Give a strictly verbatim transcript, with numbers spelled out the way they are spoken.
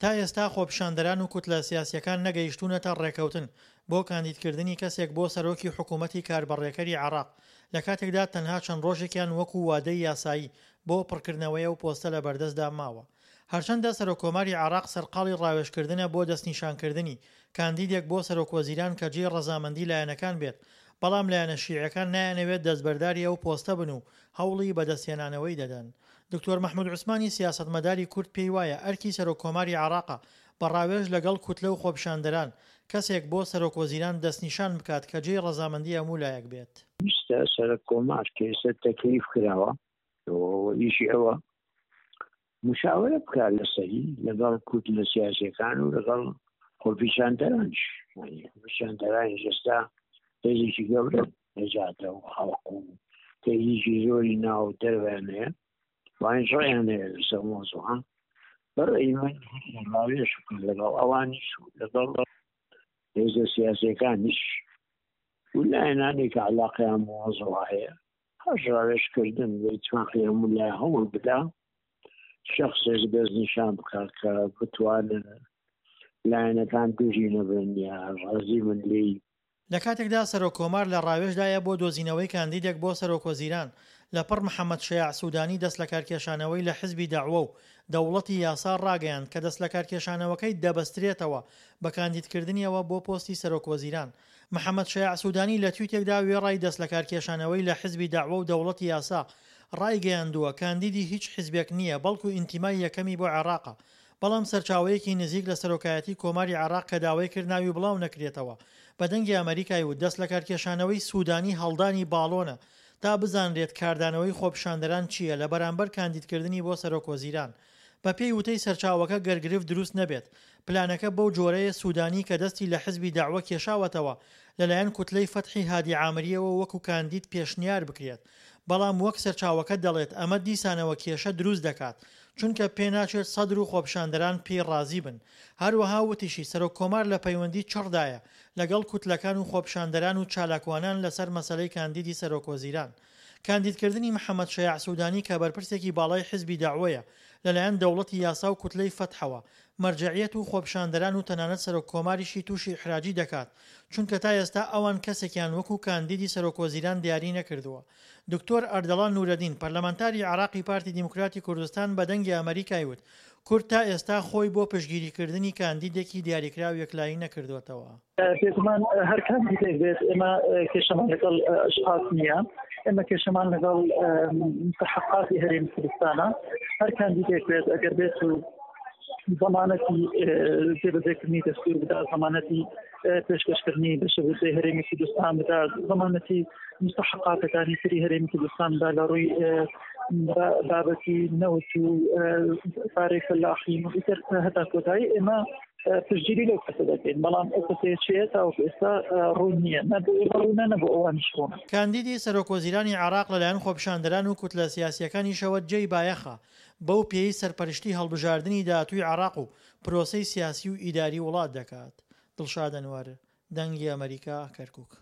تا ئێستا خۆپیشاندەران و کوتلە سیاسییەکان نەگەیشتوونەتە ڕێکەوتن بۆ کاندیدکردنی کەسێک بۆ سەرۆکی حکوومەتی کاربەڕێکەری عێراق، لە کاتێکدا تەنها چەند ڕۆژێکیان وەکو وادەی یاسایی بۆ پڕکردنەوەی ئەو پۆستە لە بەردەستدا ماوە. هەرچەندە سەرۆککۆماری عێراق سەرقاڵی ڕاوێژکردنە بۆ دەستنیشانکردنی کاندیدێک بۆ سەرۆکوەزیران کە جێی ڕەزامەندی لایەنەکان بێت، بەڵام لایەنە شیعیەکان نایانەوێت دەستبەرداری ئەو پۆستە بن و هەوڵی بەدەستهێنانەوەی دەدەن. دکتۆر مەحمود عوسمانی سیاسەتمەداری کورد پێی وایە ئەرکی سەرۆککۆماری عێراقە بە ڕاوێژ لەگەڵ کوتلە و خۆپیشاندەران کەسێک بۆ سەرۆکوەزیران دەستنیشان بکات کە جێی ڕەزامەندی هەموو لایەک بێت. پێویستە سەرۆککۆمار کە ئێستا تەکلیف کراوە و ئیشی ئەوە مشاورە بکات لەسەری لەگەڵ کوتلە سیاسیەکان و لەگەڵ خۆپیشاندەرانیش، یعنی خۆپیشاندەرانیش ئێستا هێزێکی گەورە نەجاتە و خەڵق و تەییکی زۆری ناو دەرویان هەیە، وانیش ڕێیان هەیە لەسەر مۆزوعە. بەڕێی من ڕاوێژ بکەن لەگەڵ ئەوانیش و لەگەڵ هێزە سیاسیەکانیش و لایەنانێک کە علاقەیان بۆ مۆزوع هەیە، هەش ڕاوێژکردن بە ئیتفاقی هەموو لای هەوڵ بدا شخصێک دەستنیشان بکات کە بتوانن لایەنەکان دژی نەبن یا ڕازی بن لێی. لە کاتێکدا سەرۆک کۆمار لە ڕاوێژدایە بۆ دۆزینەوەی کاندیدێک بۆ سەرۆکوەزیران، لەپڕ محەمەد شەیاع سودانی دەستلەکارکێشانەوەی لە حزبی دەعوە و دەوڵەتی یاسا ڕاگەیاند کە دەستلەکارکێشانەوەکەی دەبەسترێتەوە بە کاندیدکردنیەوە بۆ پۆستی سەرۆکوەزیران. محەمەد شەیاع سودانی لە تویتێکدا وێڕای دەستلەکارکێشانەوەی لە حزبی دەعوە و دەوڵەتی یاسا ڕایگەیاندووە کاندیدی هیچ حزبێک نییە بەڵکو ئینتیمای یەکەمی بۆ عێراقە. بەڵام سەرچاوەیەکی نزیک لە سەرۆکایەتی کۆماری عێراق کە داوای کرد ناوی بڵاو نەکرێتەوە بە دەنگی ئەمەریکای وت دەستلەکارکێشانەوەی سودانی هەڵدانی باڵۆنە تا بزانرێت کاردانەوەی خۆپیشاندەران چییە لە بەرامبەر کاندیدکردنی بۆ سەرۆکوەزیران. بەپێی وتەی سەرچاوەکە گەر گرفت دروست نەبێت پلانەکە بەو جۆرەیە سودانی کە دەستی لە حزبی دەعوە کێشاوەتەوە لەلایەن کوتلەی فەتحی هادی عامریەوە وەکو کاندید پێشنیار بکرێت بەڵام وەک سەرچاوەکە دەڵێت ئەمە دیسانەوە کێشە دروست دەکات چونکە پێناچێت سەدر و خۆپیشاندەران پێی ڕازی بن. هەروەها وتیشی سەرۆک کۆمار لە پەیوەندی چڕدایە لەگەڵ کوتلەکان و خۆپیشاندەران و چالاکوانان لەسەر مەسەلەی کاندیدی سەرۆکوەزیران. کاندیدکردنی محەمەد شەیاع سودانی کە بەرپرسێکی باڵای حزبی دەعوەیە لەلایەن دەوڵەتی یاسا و کوتلەی فەتحەوە مەرجەعیەت و خۆپیشاندەران و تەنانەت سەرۆک کۆماریشی تووشی ئیحراجی دەکات چونکە تا ئێستا ئەوان کەسێکیان وەکو کاندیدی سەرۆکوەزیران دیاری نەکردووە. دکتۆر ئەردەڵان نورەدین، پەرلەمانتاری عێراقی پارتی دیموکراتی کوردستان بە دەنگی ئەمەریکای وت، کورد تا ئێستا خۆی بۆ پشتگیریکردنی کاندیدێکی دیاریکراو یەکلایی نەکردووەتەوە. بێگومان هەر کاندیدێک بێت ئێمە کێشەمان لەگەڵ ئەشخاص نییە، ئێمە کێشەمان لەگەڵ مستحقاتی هەرێمی کوردستانە. هەر کاندیدێک بێت ئەگەر بێت و زەمانەتی جێبەجێکردنی دەستور بدا، زەمانەتی پێشکەشکردنی بەشەبوودجەی هەرێمی کوردستان بدا، زەمانەتی مستحقاتەکانی تری هەرێمی کوردستان بدا لە ڕووی بابەتی نەوت و پارەی فەلاحین و ئیتر هەتا کۆتایی ئێمە پشتگیری لەو کەسە دەکەین. بەڵام ئەو کەسەیە چییە تاوەکو ئێستا ڕوون نییە، نە بۆ ئێمە ڕوونە نە بۆ ئەوانیش ڕوونە. کاندیدی سەرۆکوەزیرانی عێراق لەلایەن خۆپیشاندەران و کوتلە سیاسییەکانیشەوە جێی بایەخە، بەو پێیەی سەرپەرشتی هەڵبژاردنی داهاتووی عێراق و پرۆسەی سیاسی و ئیداری وڵات دەکات. دڵشاد ئەنوەر، دەنگی ئەمەریکا، کەرکوک.